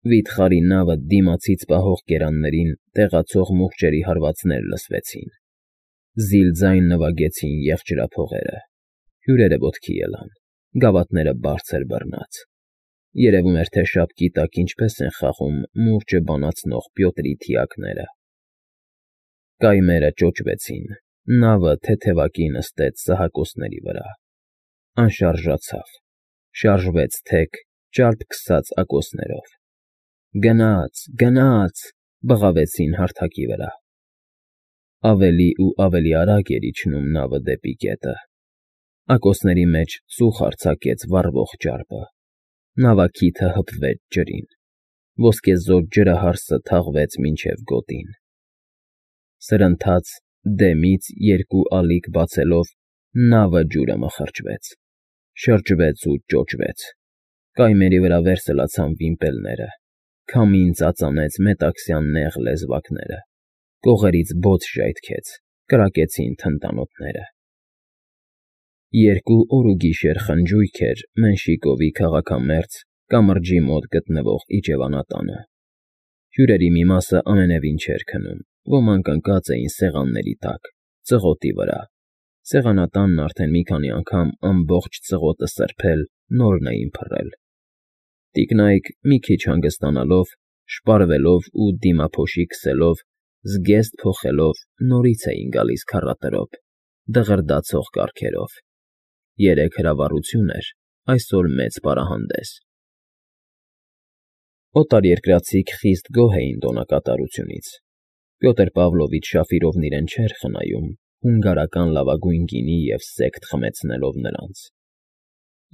Վիթխարի նավը դիմացից պահող կերաններին տեղացող մուղջերի հարվածներ լսվեցին, զիլ ձայն նվագեցին եղջերափողերը, հյուրերը ոտքի ելան, գավաթները բարձր բռնած, երևում էր, թե շապկի տակ ինչպես են խաղում մուրճը բանացնող Պյոտրի թիակները։ Կայմերը ճոճվեցին, նավը թեթևակի նստեց սահակոսների վրա, անշարժացավ, շարժվեց թեք, ճարպ քսած ակոսներով։ Գնաց, գնաց, բղավեցին հարթակի վրա։ Ավելի ու ավելի արագ էր իջնում նավը դեպի գետը։ Ակոսների մեջ ծուխ արձակեց վառվող ճարպը։ Նավակիթը հպվեց ջրին։ Ոսկեզօծ ջրահարսը թաղվեց մինչև գոտին։ Սրընթաց, դեմից երկու ալիք բացելով, նավը ջուրը մխրճվեց, շրջվեց ու ճոճվեց։ Կայմերի վրա վերսլացան վիմպելները, քամին ծածանեց մետաքսյան նեղ լեզվակները, կողերից բոց ժայթքեց, կրակեցին թնդանոթները։ Երկու օր ու գիշեր խնջույք էր Մենշիկովի քաղաքամերձ կամրջի մոտ գտնվող իջևանատանը։ Հյուրերի մի մասը ամենևին չէր քնում, ոմանք ընկած էին սեղանների տակ, ծղոտի վրա։ Սեղանատանն արդեն մի քանի անգամ ամբողջ ծղոտը սրբել, նորն էին փռել։ Տիկնայք, մի քիչ հանգստանալով, շպարվելով ու դիմափոշի քսելով, զգեստ փոխելով, նորից էին գալիս քառատրոպ, դղրդացող կառքերով։ Երեկ հրավառություն էր, այսօր մեծ պարահանդես։ Օտարերկրացիք խիստ գոհ էին տոնակատարությունից։ Պյոտր Պավլովիչ Շաֆիրովն իրեն չէր խնայում, հունգարական լավագույն գինի և սեկտ խմեցնելով նրանց։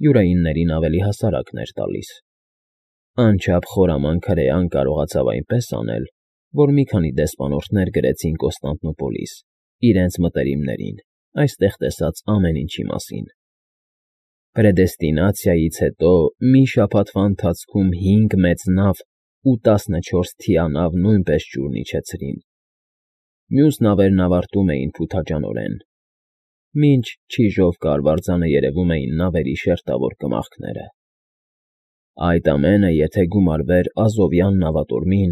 Յուրայիններին ավելի հասարակն էր տալիս։ Անչափ խորամանկ հրեան կարողացավ այնպես անել, որ մի քանի դեսպանորդներ գրեցին Կոստանդնուպոլիս, իրենց մտերիմներին, այստեղ տեսած ամեն ինչի մասին։ Պրեդեստինացիայից հետո մի շաբաթվա ընթացքում 5 մեծ նավ ու 14 թիանավ նույնպես ջուրն իջեցրին։ Մյուս նավերն ավարտում էին փութաջանորեն։ Մինչ Չիժով կարվարձանը երևում էին նավերի շերտավոր կմախքները։ Այդ ամենը, եթե գումարվեր Ազովյան նավատորմին,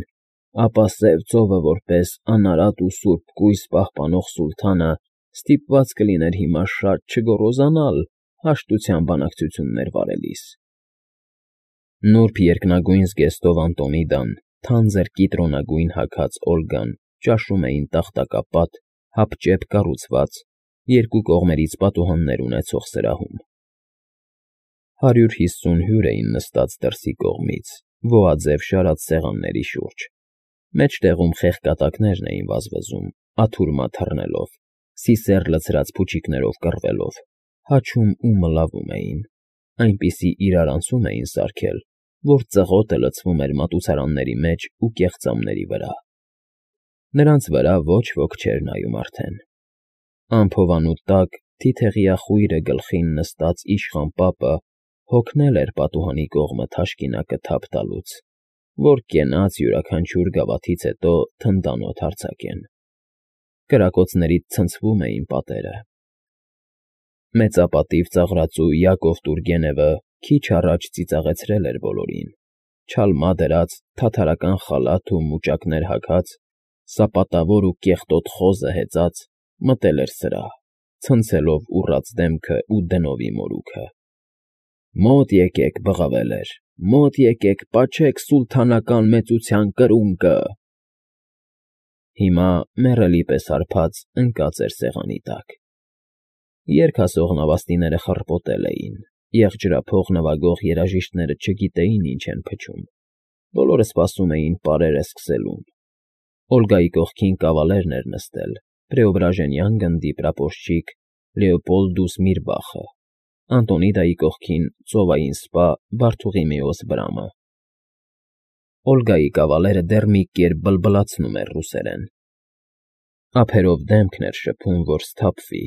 ապա Սև ծովը որպես անարատ ու սուրբ կույս պահպանող սուլթանը ստիպված կլիներ հիմա շատ չգոռոզանալ հաշտության բանակցություններ վարելիս։ Նուրբ երկնագույն զգեստով Անտոնիդան, թանձր կիտրոնագույն հագած Օլգան ճաշում էին տախտակապատ, հապճեպ կառուցված, երկու կողմերից պատուհաններ ունեցող սրահում։ 150 հյուր էին նստած դրսի կողմից, ոհաձև շարած սեղանների շուրջ։ Մեջտեղում խեղկատակներն էին վազվզում, աթուրմա թռնելով, սիսեռ լցրած փուչիկներով կռվելով, հաչում ու մլավում էին, այնպիսի իրարանցում էին սարքել, որ ծղոտը լցվում էր մատուցարանների մեջ ու կեղծամների վրա։ Նրանց վրա ոչ ոք չէր նայում արդեն։ Անփովանու տակ թիթեղյա խույրը գլխին նստած իշխան պապը հոգնել էր պատուհանի կողմը թաշկինակը թափ տալուց, որ կենաց յուրաքանչյուր գավաթից հետո թնդանոթ արձակեն։ Կրակոցներից ցնցվում էին պատերը։ Մեծապատիվ ծաղրածու Յակով Տուրգենևը քիչ առաջ ծիծաղեցրել էր բոլորին, չալմա դրած, թաթարական խալաթ ու մուճակներ հագած, սապատավոր ու կեղտոտ խոզը հեծած, մտել էր սրահ, ցնցելով ուռած դեմքը ու դնովի մորուքը։ Մոտ եկեք, բղավել էր, մոտ եկեք, պաչեք սուլթանական մեծության կրունկը։ Հիմա մեռելի պես հարբած ընկած էր սեղանի տակ։ Երգ ասող նավաստիները խռպոտել էին, եղջերափող նվագող երաժիշտները չգիտեին ինչ են փչում, բոլորը սպասում էին պարերը սկսելուն։ Օլգայի կողքին կավալերն էր նստել, Պրեոբրաժենյան գնդի պրապորշչիկ Լեոպոլդուս Միրբախը, Անտոնիդայի կողքին ծովային սպա Բարթուղիմեոս Բրամը։ Օլգայի կավալերը դեռ մի կերպ բլբլացնում էր ռուսերեն։ Ափերով դեմքն էր շփում, որ սթափվի,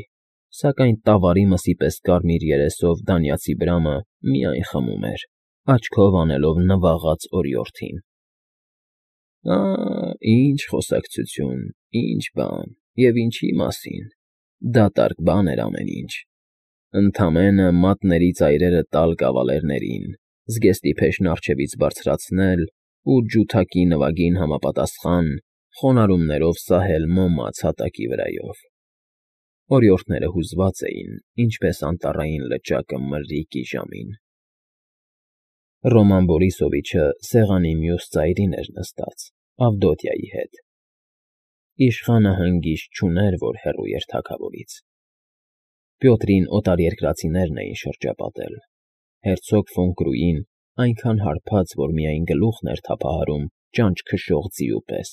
սակայն տավարի մսի պես կարմիր երեսով դանյացի Բրամը միայն խմում էր, աչքով անելով նվաղած օրիորդին։ Ինչ խոսակցություն, ինչ բան, և ինչի մասին, դատարկ բան էր ամեն ինչ։ Ընդամենը մատների ծայրերը տալ կավալերներին, զգեստի փեշն առջևից բարձրացնել, ու ջութակի նվագին համապատասխան խոնարհումներով սահել մոմաց հատակի վրայով։ Օրիորդները հուզված էին, ինչպես անտառային լճակը մրրիկի ժամին։ Ռոման Բորիսովիչը սեղանի մյուս ծայրին էր նստած, Ավդոտյայի հետ։ Իշխանը հանգիստ չուներ, որ հեռու էր թագավորից։ Պյոտրին օտարերկրացիներն էին շրջապատել։ Հերցոգ ֆոն Կրուին այնքան հարբած, որ միայն գլուխն էր թափահարում ճանճ քշող ձիու պես,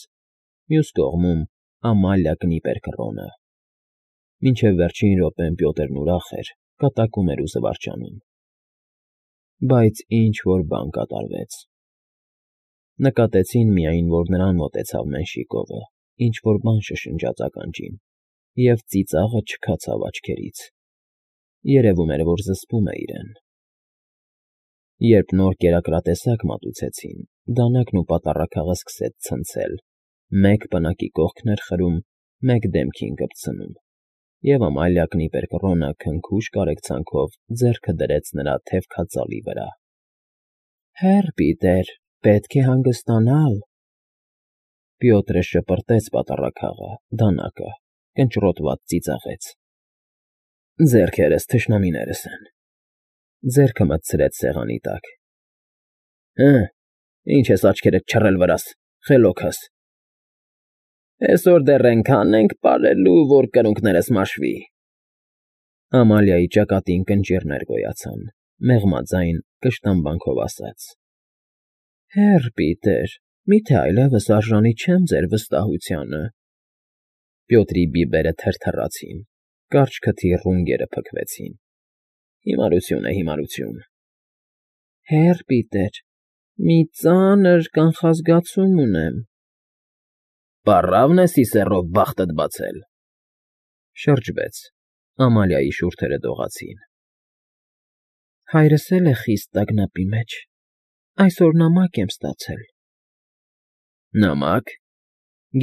մյուս կողմում Ամալիա Կնիպերկրոնը։ Մինչև վերջին րոպեն Պյոտրն ուրախ էր, կատակում էր ու զվարճանում։ Բայց ինչ֊որ բան կատարվեց։ Նկատեցին միայն, որ նրան մոտեցավ Մենշիկովը, ինչ֊որ բան շշնջաց ականջին, և ծիծաղը չքացավ աչքերից։ Երևում էր, որ զսպում է իրեն։ Երբ նոր կերակրատեսակ մատուցեցին, դանակն ու պատառաքաղը սկսեց ցնցել, մեկ պնակի կողքն էր խրում, մեկ դեմքին կպցնում, և Ամալիա Կնիպերկրոնը քնքուշ կարեկցանքով ձեռքը դրեց նրա թևքածալի վրա։ ֊ Հեռ, Պիտեր, պետք է հանգստանալ։ Պյոտրը շպրտեց պատառաքաղը, դանակը, կնճռոտված ծիծաղեց։ Ձեռքերս թշնամիներս են։ Ձեռքը մտցրեց սեղանի տակ։ Հը, ինչ ես աչքերդ չռել վրաս, խելոքս։ Այսօր դեռ էնքան ենք պարելու, որ կրունկներս մաշվի։ Ամալիայի ճակատին կնճիռներ գոյացան, մեղմաձայն կշտամբանքով ասաց. Հեռ, Պիտեր, միթե այլևս արժանի չեմ ձեր վստահությանը։ Պյոտրի բիբերը թրթռացին, կարճ քթի ռունգերը փքվեցին։ Հիմարություն է, հիմարություն։ Հեռ, Պիտեր, մի ծանր կանխազգացում ունեմ։ Պառավն ես իսեռով բախտդ բացել։ Շրջվեց, Ամալիայի շուրթերը դողացին։ Հայրս էլ է խիստ տագնապի մեջ, այսօր նամակ եմ ստացել։ Նամակ։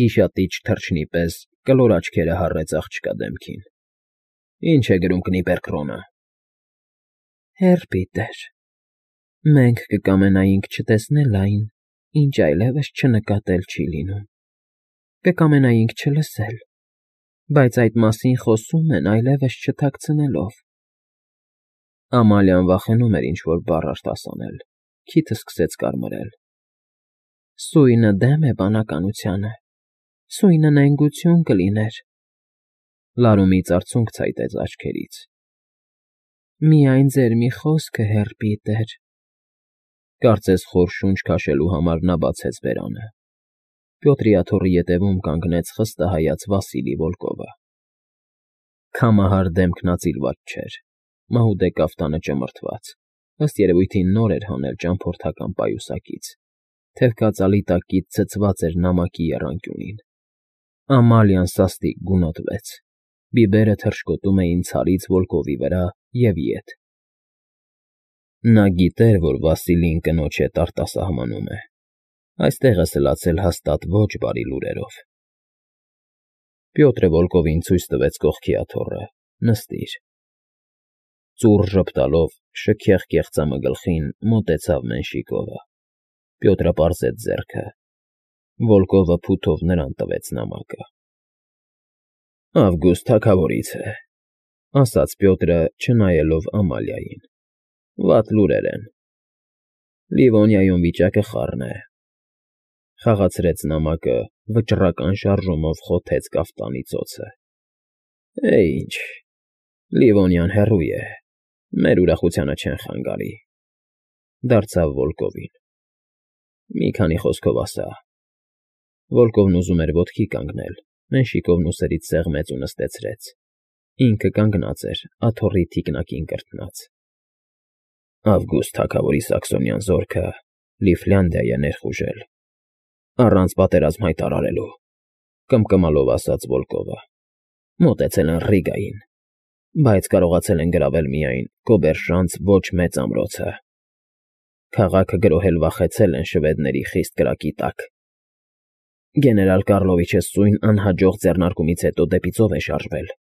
Գիշատիչ թռչնի պես կլոր աչքերը հառեց աղջկա դեմքին։ Ինչ է գրում Կնիպերկրոնը։ Հեռ, Պիտեր, մենք կկամենայինք չտեսնել այն, ինչ այլևս չնկատել չի լինում։ Կկամենայինք չլսել, բայց այդ մասին խոսում են այլևս չթաքցնելով։ Ամալիան վախենում էր ինչ֊որ բառ արտասանել, քիթը սկսեց կարմրել։ Սույնը դեմ է բանականությանը, սույնը նենգություն կլիներ։ Լարումից արցունք ցայտեց աչքերից։ Միայն ձեր մի խոսքը, հեռ Պիտեր։ Կարծես խոր շունչ քաշելու համար նա բացեց բերանը։ Պյոտրի աթոռի ետևում կանգնեց խստահայաց Վասիլի Վոլկովը։ Քամահար դեմքն ածիլված չէր, մահուդե կաֆտանը ճմրթված, ըստ երևույթին նոր էր հանել ճամփորդական պայուսակից, թևկածալի տակից ցցված էր նամակի եռանկյունին։ Ամալիան սաստիկ գունոտվեց, բիբերը թռչկոտում էին ցարից Վոլկովի վրա և ետ։ Նա գիտեր, որ Վասիլին կնոջ հետ արտասահմանում է, այստեղ է սլացել հաստատ ոչ բարի լուրերով։ Պյոտրը Վոլկովին ցույց տվեց կողքի աթոռը, նստիր։ Ծուռ ժպտալով, շքեղ կեղծամը գլխին մոտեցավ Մենշիկովը։ Պյոտրը պարզեց ձեռքը։ Վոլկովը փութով նրան տվեց նամակը։ Ավգուստ թագավորից է, ասաց Պյոտրը, չնայելով Ամալիային։ Վատ լուրեր են։ Լիվոնիայում վիճակը խառն է։ Խաղացրեց նամակը, վճռական շարժումով խոթեց կաֆտանի ծոցը։ Ինչ, Լիվոնիան հեռու է, մեր ուրախությանը չեն խանգարի։ Դարձավ Վոլկովին։ Մի քանի խոսքով ասա։ Վոլկովն ուզում էր ոտքի կանգնել, Մենշիկովն ուսերից սեղմեց ու նստեցրեց։ Ինքը կանգնած էր, աթոռի թիկնակին կրտնած։ Ավգուստ թագավորի սաքսոնյան զորքը Լիֆլանդիա է ներխուժել, առանց պատերազմ հայտարարելու, կմկմալով ասաց Վոլկովը։ Մոտեցել են Ռիգային, բայց կարողացել են գրավել միայն Կոբերշանց ոչ մեծ ամրոցը։ Քաղաքը գրոհել վախեցել են շվեդների խիստ կրակի տակ։ Գեներալ Կառլովիչը սույն անհաջող ձեռնարկումից հետո դեպի ծով է շարժվել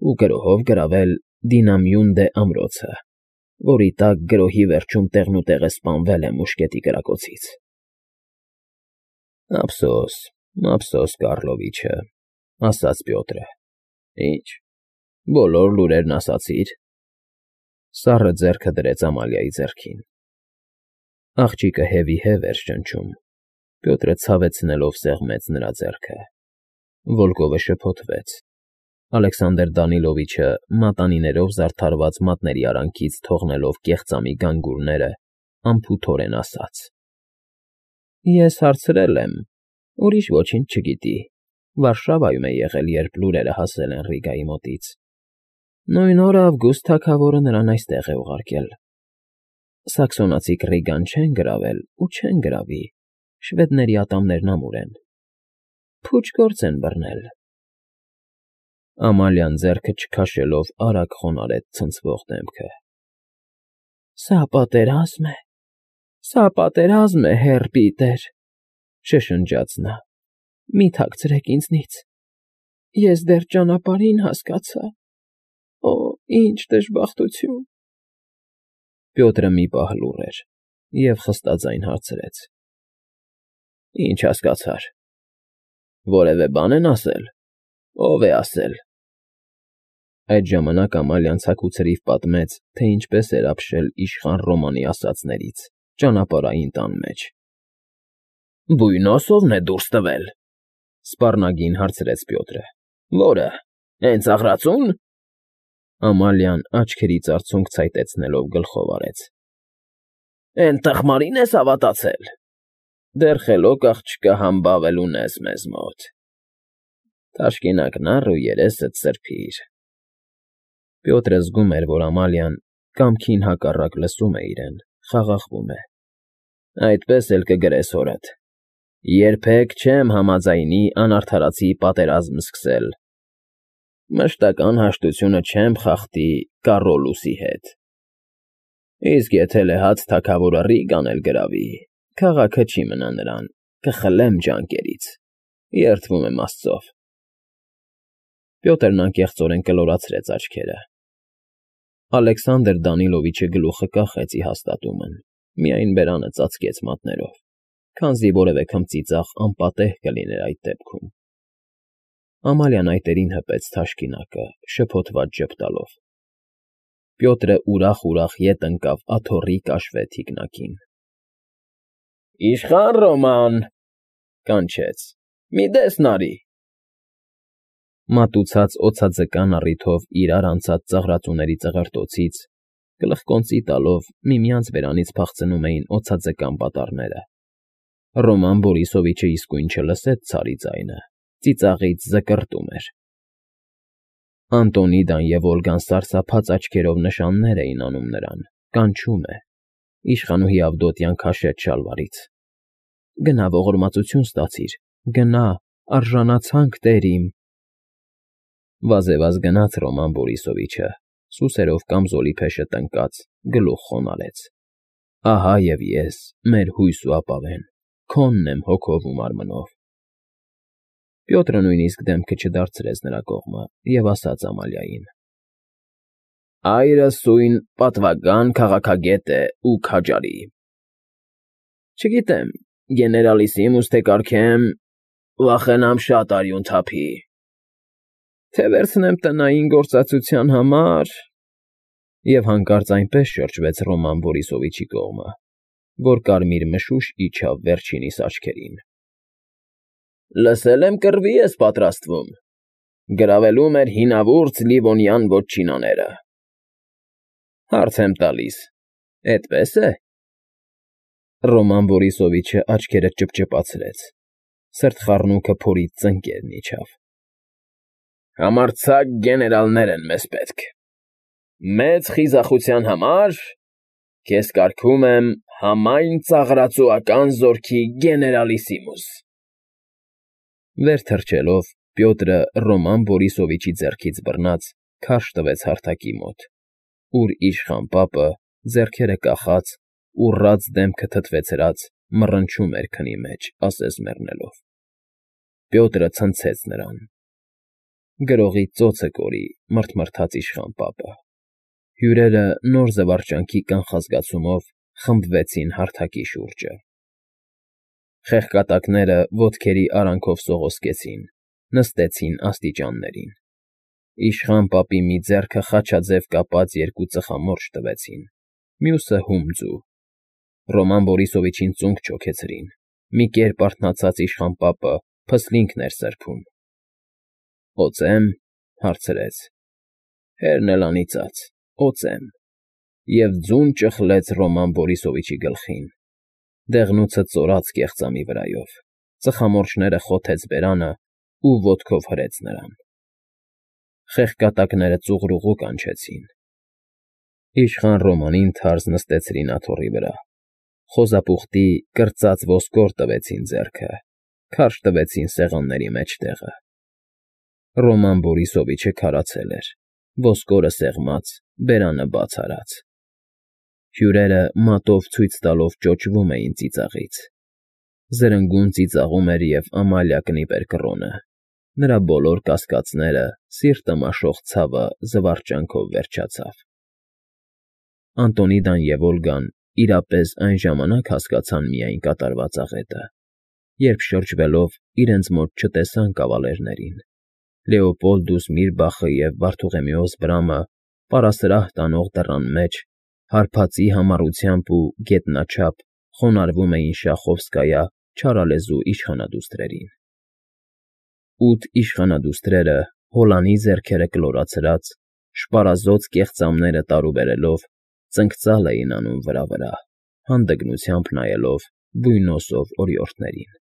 ու գրոհով գրավել Դինամյուն ամրոցը, որի տակ գրոհի վերջում տեղնուտեղը սպանվել է մուշկետի կրակոցից։ Ափսոս, ափսոս, Կառլովիչը, ասաց Պյոտրը։ Ինչ, բոլոր լուրերն ասացի՞ր։ Սառը ձեռքը դրեց Ամալիայի ձեռքին։ Աղջիկը հևի-հև էր ճնճում։ Պյոտրը ցավեցնելով սեղմեց նրա ձեռքը։ Վոլկովը շփոթվեց։ Ալեքսանդր Դանիլովիչը մատանիներով զարդարված մատների արանքից թողնելով կեղծամի գանգուրները, անփութորեն ասաց. Ես հարցրել եմ, ուրիշ ոչինչ չգիտի։ Վարշավայում է եղել, երբ լուրերը հասել են Ռիգայի մոտից։ Նույն օրը Ավգուստ թագավորը նրան այստեղ է ուղարկել։ Սաքսոնացիք Ռիգան չեն գրավել ու չեն գրավի, շվեդների ատամներն ամուր են։ Փուչ գործ են բռնել։ Ամալիան ձեռքը չքաշելով արագ խոնարհեց ցնցվող դեմքը։ Սա պատերազմ է, սա պատերազմ է, հեր Պիտեր, շշնջաց նա։ Մի թաքցրեք ինձնից։ Ես դեռ ճանապարհին հասկացա։ Օ, ինչ դժբախտություն։ Պյոտրը մի պահ լուռ էր և խստաձայն հարցրեց. Ինչ հասկացար։ Որևէ բան են ասել։ Ո՞վ է ասել։ Այդ ժամանակ Ամալիան ցաքուցրիվ պատմեց, թե ինչպես էր ապշել իշխան Ռոմանի ասածներից ճանապարհային տան մեջ։ Բույնոսովն է դուրս տվել, սպառնագին հարցրեց Պյոտրը։ Որը։ Հենց աղրածո՞ւն։ Ամալիան աչքերից արցունք ցայտեցնելով գլխով արեց։ Էն տխմարին ես հավատացել։ Դեռ խելոք աղջկա համբավել ունես մեզ մոտ։ Թաշկինակն առ ու երեսդ սրբիր։ Պյոտրը զգում էր, որ Ամալիան կամքին հակառակ լսում է իրեն, խաղաղվում է։ Այդպես էլ կգրես հորդ։ Երբեք չեմ համաձայնի անարդարացի պատերազմ սկսել։ Մշտական հաշտությունը չեմ խախտի Կառոլուսի հետ։ Իսկ եթե լեհած թագավորը Ռիգան էլ գրավի, քաղաքը չի մնա նրան, կխլեմ ջանքերից։ Երդվում եմ Աստծով։ Պյոտրն անկեղծորեն կլորացրեց աչքերը։ Ալեքսանդր Դանիլովիչը գլուխը կախեց ի հաստատումն, միայն բերանը ծածկեց մատներով, քանզի որևէ քմծիծաղ անպատեհ կլիներ այդ դեպքում։ Ամալիան այտերին հպեց թաշկինակը, շփոթված ժպտալով։ Պյոտրը ուրախ ետ ընկավ աթոռի կաշվե թիկնակին։ Իշխան Ռոման, կանչեց, մի դեսն արի։ Մատուցած օձաձկան առիթով իրար անցած ծաղրածուների ծղրտոցից, գլխկոնծի տալով միմյանց բերանից փախցնում էին օձաձկան պատառները։ Ռոման Բորիսովիչը իսկույն չլսեց ցարի ձայնը, ծիծաղից զկռտում էր։ Անտոնիդան և Օլգան սարսափած աչքերով նշաններ էին անում նրան, կանչում է, իշխանուհի Ավդոտյան քաշեց շալվարից։ Գնա ողորմածություն ստացիր, գնա, արժանացանք տեր իմ։ Վազևազ գնաց Ռոման Բորիսովիչը, սուսերով կամզոլի փեշը տնկած, գլուխ խոնարհեց։ Ահա և ես, մեր հույս ու ապավեն, քոնն եմ հոգով ու մարմնով։ Պյոտրը նույնիսկ դեմքը չդարձրեց նրա կողմը և ասաց Ամալիային. Այրս սույն պատվական քաղաքագետ է ու քաջարի։ Չգիտեմ, գեներալիսիմուս թե կարգեմ, վախենամ շատ արյուն թափի։ Թե վերցնեմ տնային գործածության համար։ Եվ հանկարծ այնպես շրջվեց Ռոման Բորիսովիչի կողմը, որ կարմիր մշուշ իջավ վերջինիս աչքերին։ Լսել եմ կռվի ես պատրաստվում։ Գրավելու մեր հինավուրց Լիվոնյան ոչինաները։ Հարց եմ տալիս, էդպես է։ Ռոման Բորիսովիչը աչքերը ճպճպացրեց, սրտխառնուկը փորից ծնկերն իջավ։ Համարձակ գեներալներ են մեզ պետք։ Մեծ խիզախության համար քեզ կարգում եմ համայն ծաղրածուական զորքի գեներալիսիմուս։ Վեր թռչելով Պյոտրը Ռոման Բորիսովիչի ձեռքից բռնած քարշ տվեց հարթակի մոտ, ուր իշխան պապը, ձեռքերը կախած, ուռած դեմքը թթվեցրած, մռնչում էր քնի մեջ, ասես մեռնելով։ Պյոտրը ցնցեց նրան։ Գրողի ծոցը կորի, մռթմռթաց իշխան պապը։ Հյուրերը նոր զվարճանքի կանխազգացումով խմբվեցին հարթակի շուրջը։ Խեղկատակները ոտքերի արանքով սողոսկեցին, նստեցին աստիճաններին։ Իշխան պապի մի ձեռքը խաչաձև կապած երկու ծխամորճ տվեցին, մյուսը հումձու։ Ռոման Բորիսովիչին ծունկ չոքեցրին։ Մի կերպ արթնացած իշխան պապը փսլինքն էր սրբում։ ֊ Օծե՞մ,֊ հարցրեց։ Հերն էլ անիծած՝ օծեմ։ Եվ ձուն ճխլեց Ռոման Բորիսովիչի գլխին։ Դեղնուցը ծորաց կեղծամի վրայով, ծխամորճները խոթեց բերանը ու ոտքով հրեց նրան։ Խեղկատակները ծուղրուղու կանչեցին։ Իշխան Ռոմանին թարս նստեցրին աթոռի վրա, խոզապուխտի կրծած ոսկոր տվեցին ձեռքը, քարշ տվեցին սեղանների մեջտեղը։ Ռոման Բորիսովիչը քարացել էր, ոսկորը սեղմած, բերանը բաց արած։ Հյուրերը մատով ցույց տալով ճոճվում էին ծիծաղից։ Զրնգուն ծիծաղում էր և Ամալիա Կնիպեր֊Կռոնը, նրա բոլոր կասկածները, սիրտը մաշող ցավը զվարճանքով վերջացավ։ Անդոնիդան և Օլգան իրապես այն ժամանակ հասկացան միայն կատարված աղետը, երբ շրջվելով իրենց մոտ չտեսան կավալերներին։ Լեոպոլդուս Միրբախը և Վարդուղիմեոս Բրամը պարասրահ տանող դռան մեջ հարբածի համառությամբ ու գետնաչափ խոնարհվում էին Շախովսկայա չարալեզու իշխանադուստրերին։ 8 իշխանադուստրերը, հոլանի ձեռքերը կլորացրած, շպարազոծ կեղծամները տարուբերելով, ծնկծալ էին անում վրա֊վրա, հանդգնությամբ նայելով բույնոսով օրիորդներին։